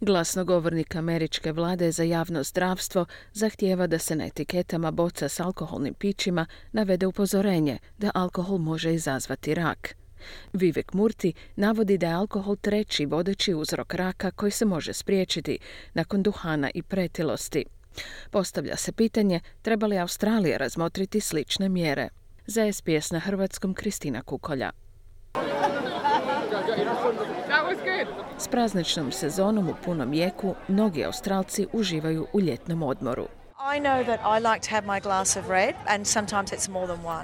Glasnogovornik američke vlade za javno zdravstvo zahtijeva da se na etiketama boca s alkoholnim pićima navede upozorenje da alkohol može izazvati rak. Vivek Murthy navodi da je alkohol treći vodeći uzrok raka koji se može spriječiti nakon duhana i pretilosti. Postavlja se pitanje treba li Australija razmotriti slične mjere. Za SBS na hrvatskom Kristina Kukolja. S prazničnom sezonom u punom jeku mnogi Australci uživaju u ljetnom odmoru.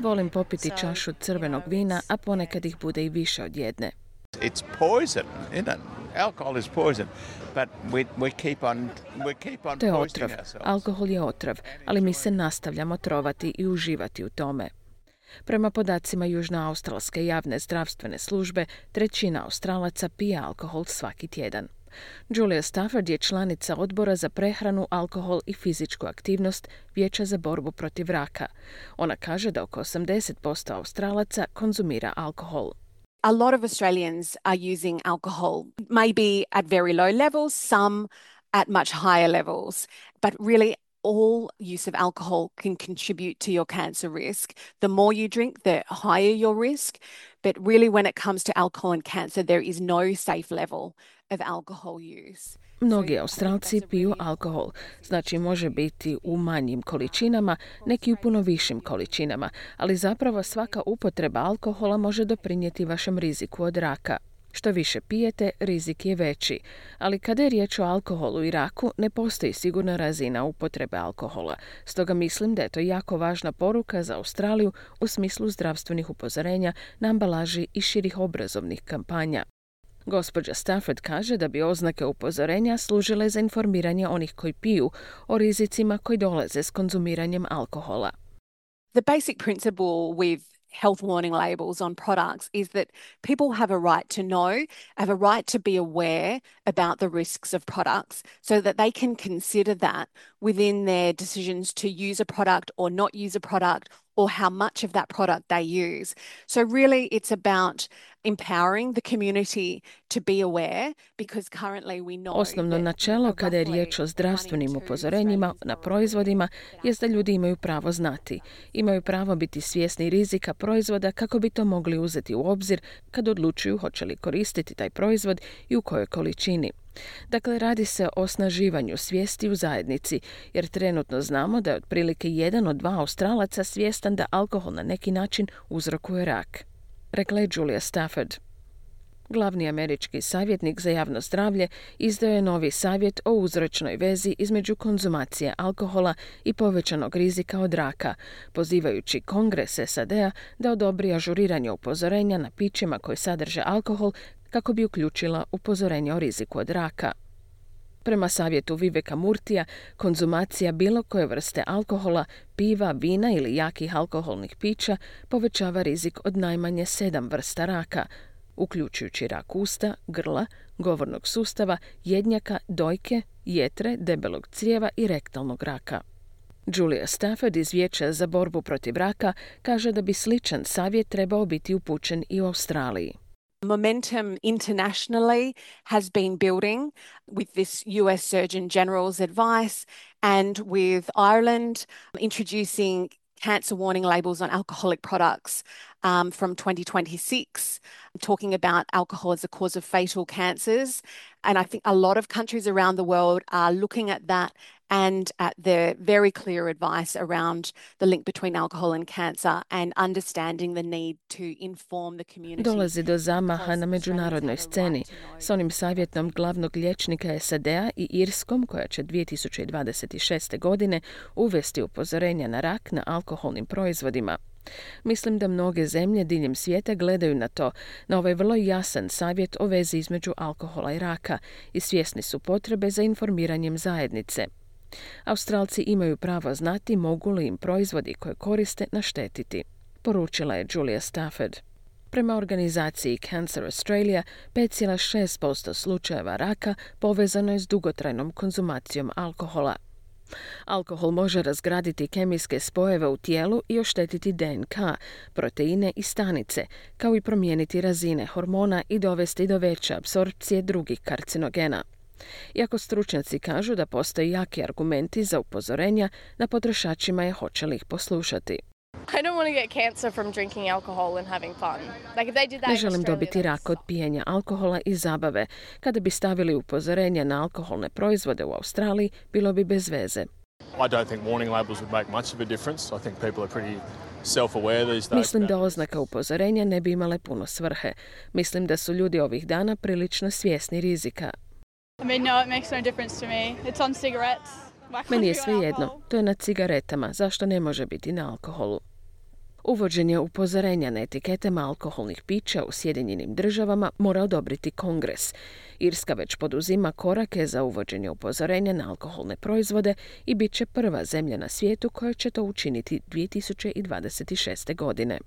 Volim popiti čašu crvenog vina, a ponekad ih bude i više od jedne. It's poison, isn't it? Alcohol is poison, but we keep on To je poisoning otrov. ourselves. Alkohol je otrov, ali mi se nastavljamo trovati i uživati u tome. Prema podacima Južnoaustralske javne zdravstvene službe, 1/3 Australaca pije alkohol svaki tjedan. Julia Stafford je članica odbora za prehranu, alkohol i fizičku aktivnost Vijeća za borbu protiv raka. Ona kaže da oko 80% Australaca konzumira alkohol. A lot of Australians are using alcohol, maybe at very low levels, some at much higher levels, but really all use of alcohol can contribute to your cancer risk. The more you drink, the higher your risk. But really when it comes to alcohol and cancer, there is no safe level of alcohol use. Mnogi Australci piju alkohol, znači može biti u manjim količinama, neki u puno višim količinama, ali zapravo svaka upotreba alkohola može doprinijeti vašem riziku od raka. Što više pijete, rizik je veći, ali kada je riječ o alkoholu i raku, ne postoji sigurna razina upotrebe alkohola. Stoga mislim da je to jako važna poruka za Australiju u smislu zdravstvenih upozorenja na ambalaži i širih obrazovnih kampanja. Gospođa Stafford kaže da bi oznake upozorenja služile za informiranje onih koji piju o rizicima koji dolaze s konzumiranjem alkohola. The basic principle with health warning labels on products is that people have a right to know, have a right to be aware about the risks of products so that they can consider that within their decisions to use a product or not use a product or how much of that product they use. So really it's about empowering the community to be aware because currently we know Osnovno načelo kada je riječ o zdravstvenim upozorenjima na proizvodima jest da ljudi imaju pravo znati. Imaju pravo biti svjesni rizika proizvoda kako bi to mogli uzeti u obzir kad odlučuju hoće li koristiti taj proizvod i u kojoj količini. Dakle, radi se o osnaživanju svijesti u zajednici, jer trenutno znamo da je otprilike 1 od 2 Australaca svjestan da alkohol na neki način uzrokuje rak. Rekla je Julia Stafford. Glavni američki savjetnik za javno zdravlje izdao je novi savjet o uzročnoj vezi između konzumacije alkohola i povećanog rizika od raka, pozivajući Kongres SAD-a da odobri ažuriranje upozorenja na pićima koji sadrže alkohol kako bi uključila upozorenje o riziku od raka. Prema savjetu Viveka Murthya, konzumacija bilo koje vrste alkohola, piva, vina ili jakih alkoholnih pića povećava rizik od najmanje 7 vrsta raka, uključujući rak usta, grla, govornog sustava, jednjaka, dojke, jetre, debelog crijeva i rektalnog raka. Julia Stafford iz Vijeća za borbu protiv raka kaže da bi sličan savjet trebao biti upućen i u Australiji. Momentum internationally has been building with this US Surgeon General's advice and with Ireland introducing cancer warning labels on alcoholic products from 2026, talking about alcohol as a cause of fatal cancers. And I think a lot of countries around the world are looking at that and at the very clear advice around the link between alcohol and cancer and understanding the need to inform the community. Dolazi do zamaha na međunarodnoj sceni s onim savjetom glavnog liječnika SAD-a i Irskom koja će 2026. godine uvesti upozorenja na rak na alkoholnim proizvodima. Mislim da mnoge zemlje diljem svijeta gledaju na ovaj vrlo jasan savjet o vezi između alkohola i raka i svjesni su potrebe za informiranjem zajednice. Australci imaju pravo znati mogu li im proizvodi koje koriste naštetiti, poručila je Julia Stafford. Prema organizaciji Cancer Australia, 5,6% slučajeva raka povezano je s dugotrajnom konzumacijom alkohola. Alkohol može razgraditi kemijske spojeve u tijelu i oštetiti DNK, proteine i stanice, kao i promijeniti razine hormona i dovesti do veće apsorpcije drugih karcinogena. Iako stručnjaci kažu da postoje jaki argumenti za upozorenja, na potrošačima je hoće li ih poslušati. I don't want to get cancer from drinking alcohol and having fun. Like if they did that Ne in želim Australia, dobiti rak od pijenja alkohola i zabave. Kada bi stavili upozorenja na alkoholne proizvode u Australiji, bilo bi bez veze. I don't think warning labels would make much of a difference. I think people are pretty self-aware these days. Mislim da oznaka upozorenja ne bi imale puno svrhe. Mislim da su ljudi ovih dana prilično svjesni rizika. I mean, no, it makes no difference to me. It's on cigarettes. Why can't Meni je it be on svejedno, alcohol? to je na cigaretama, zašto ne može biti na alkoholu? Uvođenje upozorenja na etiketama alkoholnih pića u Sjedinjenim Državama mora odobriti Kongres. Irska već poduzima korake za uvođenje upozorenja na alkoholne proizvode i bit će prva zemlja na svijetu koja će to učiniti 2026. godine.